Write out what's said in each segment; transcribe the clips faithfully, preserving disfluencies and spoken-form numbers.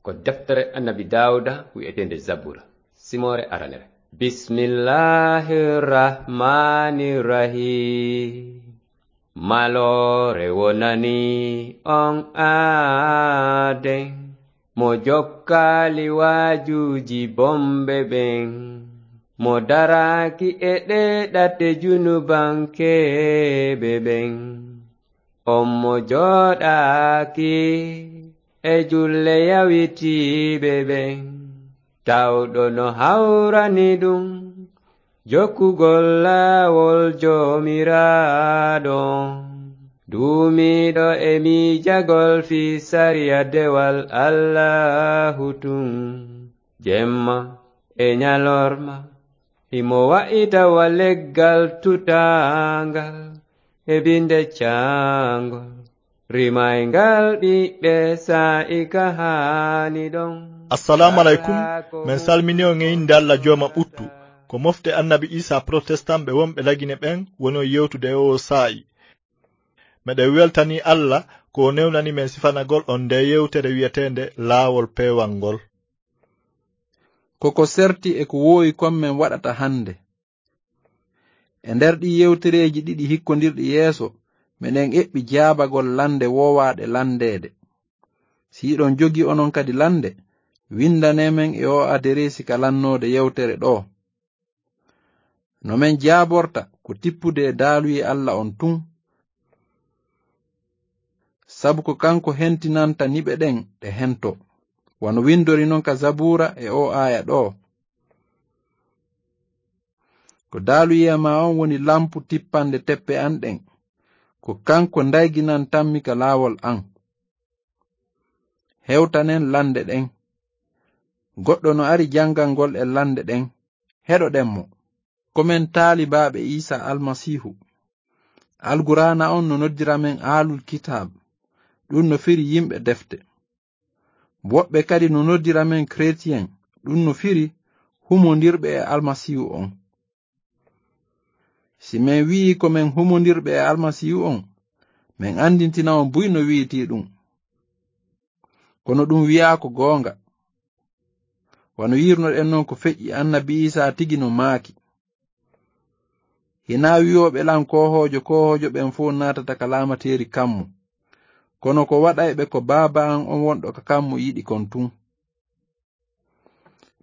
Ko deftere Annabi Daawuda wi'eteende Zabura, simoore aranere. Bismillahir Rahmanir Rahim. Maloore wonani on aaden, mo jokkaali waajuuji bomɓe ɓen, mo daraaki e ɗee ɗate junubankeeɓe ɓen. On mo jooɗaaki e julle yawitiiɓe ɓen, tawɗo no hawrani ɗum jokkugol laawol Joomiraaɗo, duumiiɗo e miijagol fii sariya dewal Allaahu tun, jemma e ñalorma. Himo wa'ita wa leggal tutaangal e binde caangol, rimayngal ɓiɓɓe saa'i ka haani ɗon. Assalamu alaikum. Men salmini on e innde Alla Jooma ɓuttu. Ko mofte Annabi Isa Protestant ɓe wonɓe Lagine ɓen woni on yewtude e oo saa'i. Meɗen weltanii Alla ko o newnani men sifanagol on ndee yewtere wi'eteende Laawol Peewal ngol. Ko ko serti e ko woowi kon men waɗata hannde. E nder ɗii yewtereeji ɗiɗi hikkondirɗi yeeso, meɗen eɓɓi jaabagol lande woowaaɗe landeede. Si hiɗon jogii onon kadi lande, windanee men e oo adereesi ka lannoode yewtere ɗoo. No men jaaborta ko tippude e daaluyee Alla on tun. Sabu ko kanko hentinanta niɓe ɗen ɗe hentoo. Wano windori non ka Zabuura e oo aaya ɗoo. Ko daaluyee maa on woni lampu tippande teppe an ɗen. Ko kanko ndayginantammi ka laawol an. Hewtanen lande ɗen. Goɗɗo no ari jangangol en lande ɗen. Heɗoɗen mo. Ko men taalibaaɓe Iisa Almasiihu. Alqur'aana on no noddira men aalul kitaab. Ɗun no firi yimɓe defte. Woɓɓe kadi no noddira men kretien. Ɗun no firi humondirɓe e Almasiihu on. Si men wi'ii ko men humondirɓe e Almasiihu on, men andintina on buy no wi'itii ɗun. Kono ɗun wi'aa ko goonga. Wano yi'irnoɗen non ko feƴƴi Annabi Iisaa tigi no maaki. Hinaa wi'ooɓe lan koohoojo koohoojo ɓen fow naatata ka laamateeri kammu. Kono ko waɗayɓe ko Baaba an on wonɗo ka kammu yiɗi kon tun.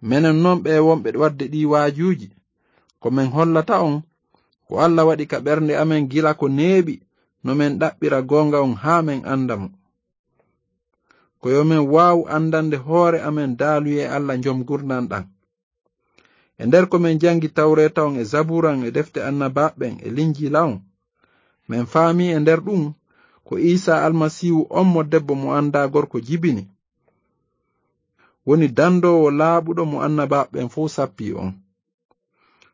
Menen non ɓee wonɓe waɗde ɗii waajuuji, ko men hollata on, ko Alla waɗi ka ɓernde amen gila ko neeɓi, no men ɗaɓɓira goonga on haa men anda mo. Ko yo men waawu andande hoore amen daaluyee Alla Jom Ngurndan ɗan. E nder ko men jangi Tawreeta on e Zabuura on e defte Annabaaɓe ɓen e Linjiila on, men faamii e nder ɗun ko Iisaa Almasiihu on mo debbo mo andaa gorko jibini, woni dandoowo laaɓuɗo mo Annabaaɓe ɓen fow sappii on.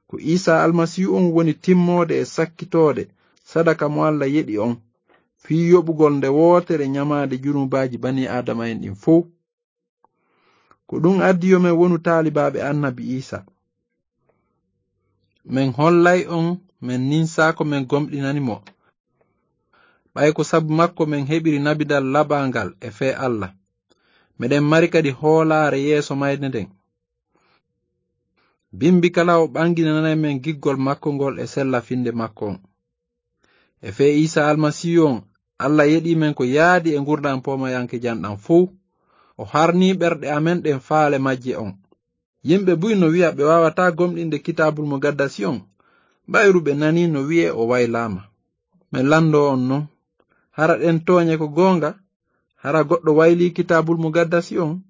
Ko Iisaa Almasiihu on woni timmoode e sakkitoode sadaka mo Alla yeɗi on, fii yoɓugol nde wootere ñamaande junubaaji banii Aadama'en ɗin fow. Ko ɗun addi yo men wonu taalibaaɓe Annabi Iisaa. Men hollay on, men ninsaa ko men gomɗinani mo. Ɓay ko sabu makko men heɓiri nabidal laɓangal e fee Alla. Meɗen mari kadi hoolaare yeeso mayde nden. Bimbi kala o ɓanginanay men giggol makko ngol e sella finde makko on. E fee Iisaa Almasiihu on, Alla yeɗii men ko yaadi e ngurndan poomayankejan ɗan fow. O harnii ɓerɗe amen ɗen faale majje on. Yimɓe buy no wi'a ɓe waawataa gomɗinde Kitaabul Mugaddasi on, ɓayru ɓe nanii no wi'ee o waylaama. Men landoo on non. Hara ɗen tooñe ko goonga? Hara goɗɗo waylii Kitaabul Mugaddasi on?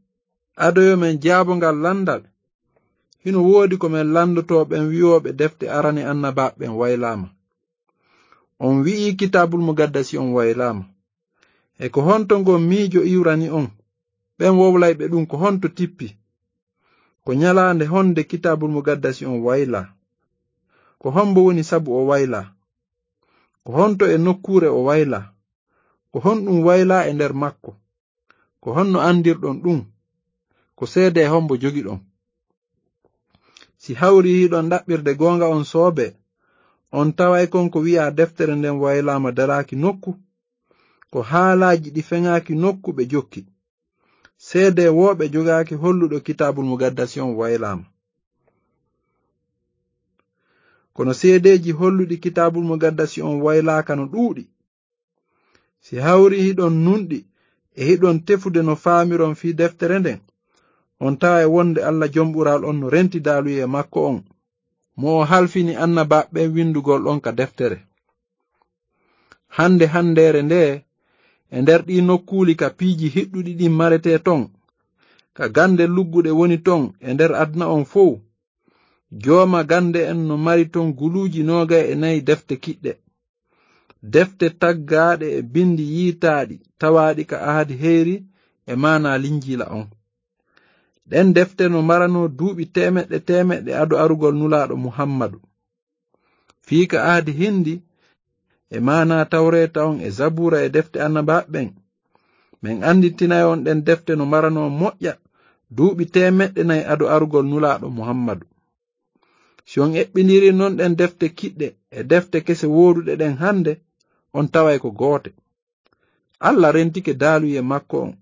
Ado yo men jaabo ngal landal, hino woodi ko men landotoo ɓen wi'ooɓe defte arane Annabaaɓe ɓen waylaama. On wi'ii Kitaabul Mugaddasi on waylaama. E ko honto ngon miijo iwrani on? Ɓen wowlayɓe ɗun ko honto tippi? Ko ñalaande honde Kitaabul Mugaddasi on waylaa? Ko hombo woni sabu o waylaa? Ko honto e nokkuure o waylaa? Ko honɗun waylaa e nder makko? Ko honno andirɗon ɗun? Ko seedee hombo jogiɗon? Si hawrii hiɗon ɗaɓɓirde goonga on soobee, on taway kon ko wi'aa deftere nden waylaama daraaki nokku. Ko haalaaji ɗi feŋaaki nokku ɓe jokki. Seedewooɓe jogaaki holluɗo Kitaabul Mugaddasi on waylaama. Kono seedeeji holluɗi Kitaabul Mugaddasi on waylaaka no ɗuuɗi. Si hawri hiɗon nunɗi e hiɗon tefude no faamiron fii deftere nden, on tawa e wonde Alla Jom Ɓural on no renti daaluyee makko on, mo o halfini annabaaɓe ɓen windugol on ka deftere. Hande handeere nde, e nder ɗii nokkuuli ka piiji hiɗɗuɗi ɗin maretee ton, ka gande lugguɗe woni ton e nder aduna on fow, jooma gande en no mari ton guluuji noogay e nayi defte kiɗɗe. Defte taggaaɗe e bindi yiitaaɗi tawaaɗi ka ahadi heyri e maanaa Linjiila on. Ɗen defte no maranoo duuɓi teemeɗɗe teemeɗɗe ado arugol Nulaaɗo Muhammadu. Fii ka ahadi hindi, e maanaa Tawreeta on e Zabuura e defte annabaaɓe ɓen, men anndintinay on ɗen defte no maranoo moƴƴa duuɓi teemeɗɗe nayi ado arugol Nulaaɗo Muhammadu. Si on eɓɓindirii non ɗen defte kiɗɗe e defte kese wooduɗe ɗen hande, on taway ko goote. Alla rentike daaluyee makko on.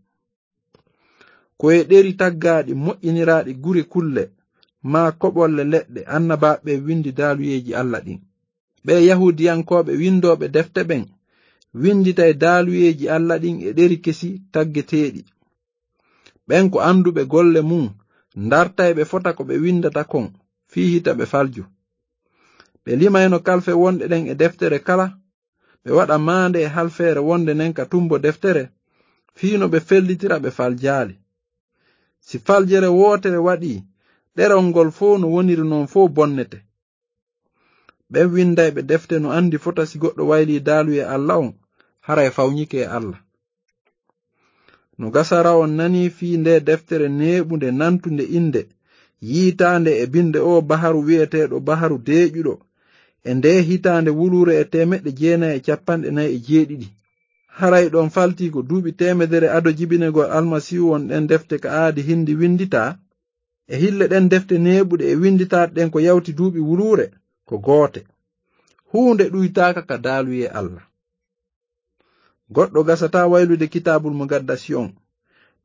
Ko e ɗeri taggaaɗi moƴƴiniraaɗi gure kulle, maa koɓolle leɗɗe, annabaaɓe ɓen windi daaluyeeji Alla ɗin. Ɓee Yahuudiyankooɓe windooɓe defte ɓen, winditay daaluyeeji Alla ɗin e ɗeri kesi taggeteeɗi. Ɓen ko annduɓe golle mun, ndartay ɓe fota ko ɓe windata kon, fii hita ɓe falju. Ɓe limayno kalfe wonɗe ɗen e deftere kala, ɓe waɗa maande e halfeere wonde nden ka tumbo deftere, fii no ɓe fellitira ɓe faljaali. Si faljere wootere waɗii, ɗerol ngol fow no woniri non fow bonnete. Ɓen windayɓe defte no anndi fota si goɗɗo waylii daaluyee Alla on, haray fawñike e Alla. No gasara on nanii fii ndee deftere neeɓunde nantunde innde, yiitaande e binnde oo baharu wi'eteeɗo Baharu Deeƴuɗo, e ndee hitaande wuluure e teemeɗɗe jeenay e cappanɗe nayi e jeeɗiɗi. Haray ɗon faltii ko duuɓi teemedere ado jibinegol Almasiihu on ɗen defte ka aadi hindi winnditaa? E hille ɗen defte neeɓuɗe e winnditaaɗe ɗen ko yawti duuɓi wuluure, ko goote. Huunde ɗuytaaka ka daaluyee Alla. Goɗɗo gasataa waylude Kitaabul Mugaddasi on.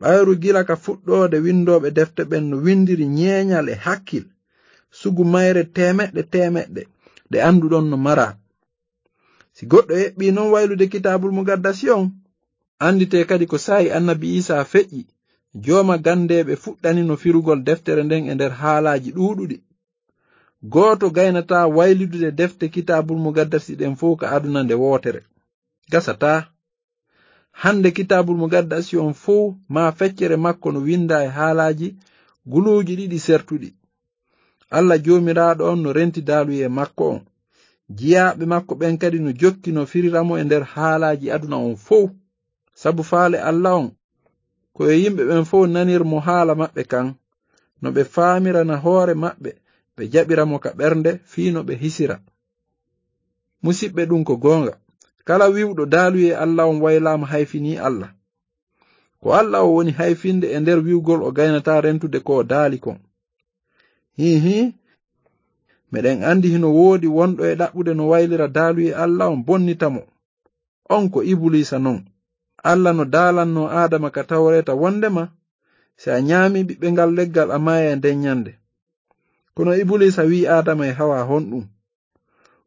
Ɓayru gila ka fuɗɗoode winndooɓe defte ɓen no winndiri ñeeñal e hakkil, sugu mayre teemeɗɗe teemeɗɗe, ɗe annduɗon no maraa. Si goɗɗo eɓɓii non waylude Kitaabul Mugaddasi on, annditee kadi ko saa'i Annabi Iisaa feƴƴi, jooma ganndeeɓe fuɗɗanino firugol deftere nden e nder haalaaji ɗuuɗuɗi. Gooto gaynataa waylidude defte Kitaabul Mugaddasi ɗen fow ka aduna nde wootere. Gasataa. Hande Kitaabul Mugaddasi on fow maa feccere makko no winndaa e haalaaji guluuji ɗiɗi sertuɗi. Alla Joomiraaɗo on no renti daaluyee makko on. Jiyaaɓe makko ɓen kadi no jokki no firira mo e nder haalaaji aduna on fow. Sabu faale Alla on, ko yo yimɓe ɓen fow nanir mo haala maɓɓe kan, no ɓe faamirana hoore maɓɓe, ɓe jaɓira mo ka ɓernde fii no ɓe hisira. Musiɓɓe, ɗun ko goonga. Kala wi'uɗo daaluyee Alla on waylaama hayfinii Alla. Ko Alla o woni hayfinde e nder wi'ugol o gaynataa rentude ko o daali kon. Hii hii, meɗen anndi hino woodi wonɗo e ɗaɓɓude no waylira daaluyee Alla on bonnita mo. On ko Ibuliisa non. Alla no daalannoo Aadama ka Tawreeta wondema, si a ñaamii ɓiɓɓe ngal leggal a maayay nden ñande. Kono Ibuliisa wi'i Aadama e Hawaa honɗun?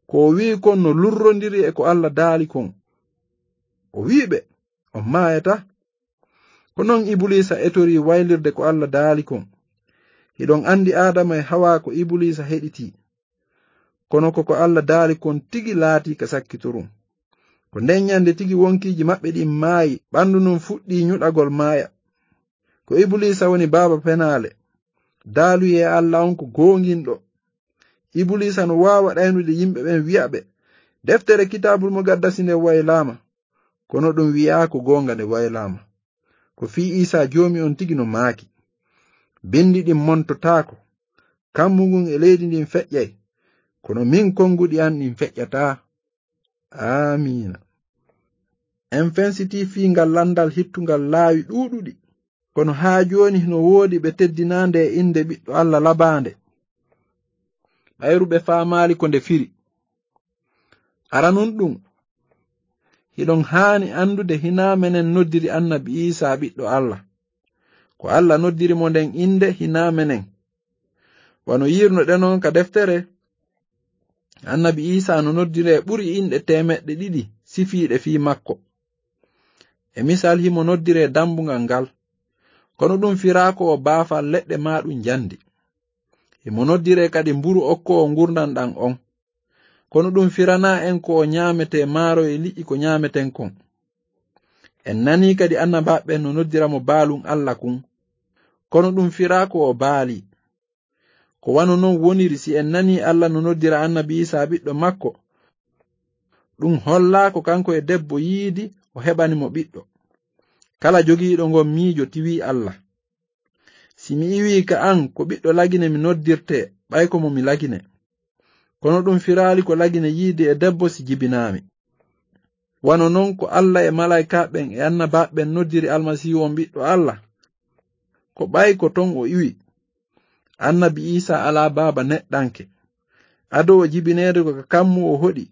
Ko o wi'i kon no lurrondiri e ko Alla daali kon. O wi'i ɓe, on maayataa. Ko non Ibuliisa etorii waylirde ko Alla daali kon. Hiɗon anndi Aadama e Hawaa ko Ibuliisa heɗitii. Kono ko ko Alla daali kon tigi laatii ka sakkitorun. Ko nden ñande tigi wonkiiji maɓɓe ɗin maayi, ɓandu ndun fuɗɗii ñuɗagol maaya. Ko Ibuliisa woni baaba penaale. Daaluyee Alla on ko goonginɗo. Ibuliisa no waawa ɗaynude yimɓe ɓen wi'a ɓe, deftere Kitaabul Mugaddasi nden waylaama. Kono ɗun wi'aa ko goonga nde waylaama. Ko fii Iisaa Joomi on tigi no maaki, bindi ɗin montotaako, kammu ngun e leydi ndin feƴƴay, kono min konguɗi an ɗin feƴƴataa. Aamiina. En fensitii fii ngal lanndal hittungal laawi ɗuuɗuɗi, kono haa jooni hino woodi ɓe teddinaande e innde Ɓiɗɗo Alla labaande. Ɓayru ɓe faamaali ko nde firi. Aranun ɗun, hiɗon haani anndude hinaa menen noddiri Annabi Iisaa Ɓiɗɗo Alla. Ko Alla noddiri mo nden innde, hinaa menen. Wano yi'irnoɗen on ka deftere, Annabi Iisaa no noddiree ɓuri inɗe teemeɗɗe ɗiɗi sifiiɗe fii makko. E misal, himo noddiree Dambugal ngal. Kono ɗun firaa ko o baafal leɗɗe maa ɗun njandi. Himo noddiree kadi Mburu okkoowo ngurndan ɗan on. Kono ɗun firanaa en ko o ɲaametee maaro e liƴƴi ko ɲaameten kon. En nanii kadi annabaaɓe ɓen no noddira mo Baalun Alla kun. Kono ɗun firaa ko o baalii. Ko wano non woniri si en nanii Alla no noddira Annabi Iisaa ɓiɗɗo makko. Ɗun hollaa ko kanko e debbo yiidi o heɓani mo ɓiɗɗo. Kala jogiiɗo ngon miijo tiwii Alla. Si mi iwii ka an ko ɓiɗɗo lagine mi noddirtee, ɓay ko mo mi lagine. Kono ɗun firaali ko lagine yiidi e debbo si jibinaami. Wano non ko Alla e malaa'ikaaɓe ɓen e annabaaɓe ɓen noddiri Almasiihu on ɓiɗɗo Alla, ko ɓay ko ton o iwi. Annabi Iisaa alaa baaba neɗɗanke. Ado o jibineede ko ka kammu o hoɗi,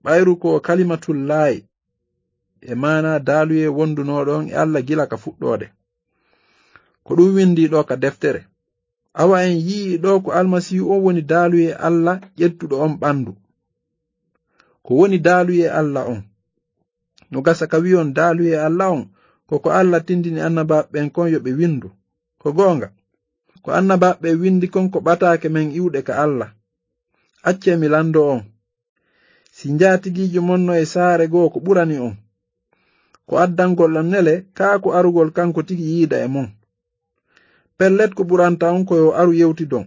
ɓayru ko o Kalimatullaahi, e maanaa daaluyee wondunooɗo on e Alla gila ka fuɗɗoode. Ko ɗun windii ɗoo ka deftere. Awa en yi'ii ɗoo ko Almasiihu on woni daaluyee Alla ƴettuɗo on ɓandu. Ko woni daaluyee Alla on? No gasa ka wi'on daaluyee Alla on, ko ko Alla tindini annabaaɓe ɓen kon yo ɓe windu. Ko goonga. Ko annabaaɓe ɓen windi kon ko ɓataake men iwuɗe ka Alla. Accee mi landoo on. Si njaatigiijo mon no e saare goo ko ɓurani on, ko addangol on nele kaa ko arugol kanko tigi yiida e mon? Pellet ko ɓuranta on ko yo aru yewtidon.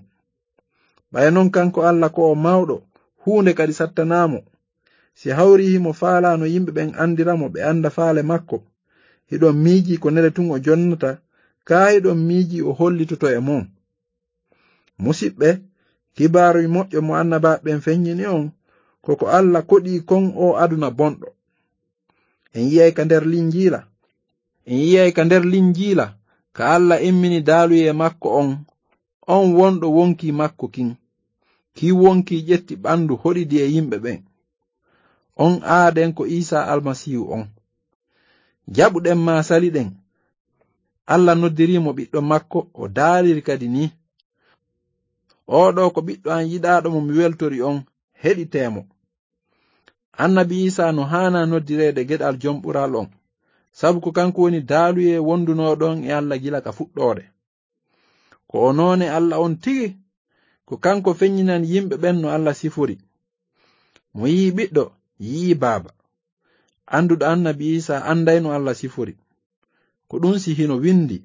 Ɓay non kanko Alla ko o mawɗo, huunde kadi sattanaa mo. Si hawrii himo faalaa no yimɓe ɓen andira mo ɓe anda faale makko, hiɗon miijii ko nele tun o jonnata, kaa hiɗon miijii o hollitoto e mon? Musiɓɓe, kibaaru moƴƴo mo annabaaɓe ɓen feɲɲini on, ko ko Alla koɗii kon oo aduna bonɗo. En yi'ay ka nder Linjiila. En yi'ay ka nder Linjiila, ka Alla immini daaluyee makko on, on wonɗo wonkii makko kin. Kii wonkii ƴetti ɓandu hoɗidi e yimɓe ɓen. On aaden ko Iisaa Almasiihu on. Jaɓuɗen maa saliɗen, Alla noddirii mo ɓiɗɗo makko, o daaliri kadi nii, "Oo ɗoo ko ɓiɗɗo an yiɗaaɗo mo mi weltori on, heɗitee mo." Annabi Iisaa no haanaa noddireede geɗal Jom Ɓural on, sabu ko kanko woni daaluyee wondunooɗo on e Alla gila ka fuɗɗoode. Ko o noone Alla on tigi, ko kanko feɲɲinani yimɓe ɓen no Alla sifori. Mo yi'i ɓiɗɗo, yi'i baaba. Anduɗo annabi Iisaa anday no Alla sifori. Ko ɗun si hino windi.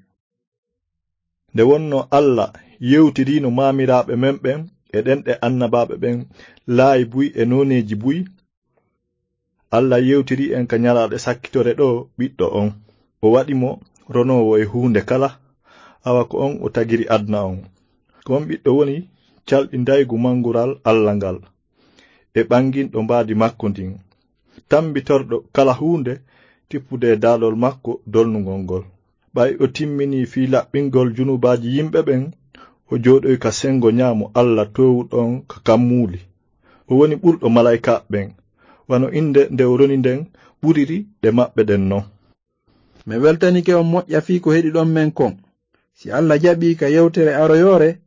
Nde wonno Alla yewtiriino maamiraaɓe men ɓen e ɗenɗe annabaaɓe ɓen laayi buy e nooneeji buy, Alla yewtirii en ka ɲalaaɗe sakkitore ɗoo ɓiɗɗo on. O waɗi mo ronoowo e huunde kala, awa ko on o tagiri aduna on. Ko on ɓiɗɗo woni calɗindaygu mangural Alla ngal, e ɓanginɗo mbaadi makko ndin, tambitorɗo kala huunde tippude e daalol makko dolnungol ngol. Ɓay o timminii fii laɓɓingol junubaaji yimɓe ɓen, o jooɗoyi ka sengo ɲaamo Alla toowuɗo on ka kammuuli. O woni ɓurɗo malaa'ikaaɓe ɓen, wano innde nde o roni nden ɓuriri ɗe maɓɓe ɗen non. Mi weltanike on moƴƴa fii ko heɗiɗon men kon. Si Alla jaɓii ka yewtere aroyoore,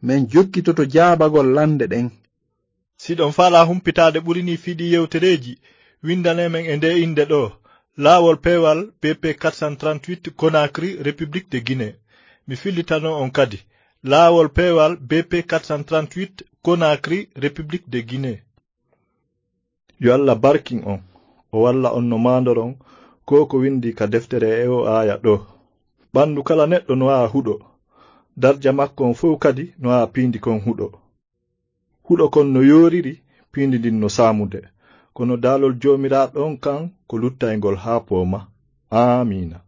men jokkitoto jaabagol lande ɗen. Si ɗon faalaa humpitaade ɓuri nii fii ɗii yewtereeji, windanee men e ndee innde ɗoo, Laawol Peewal B P quatre cent trente-huit, Conakry, République de Guinée. Mi fillitanoo on kadi, Laawol Peewal B P quatre cent trente-huit, Conakry, République de Guinée. Yo Alla barkin on, o walla on no maandoron ko ko windi ka deftere e oo aaya ɗoo. Ɓandu kala neɗɗo no haa huɗo, darja makko on fow kadi no haa piindi kon huɗo. Huɗo kon no yooriri, piindi ndin no saamude. Kono daalol Joomiraaɗo on kan ko luttayngol haa pooma. Aamiina.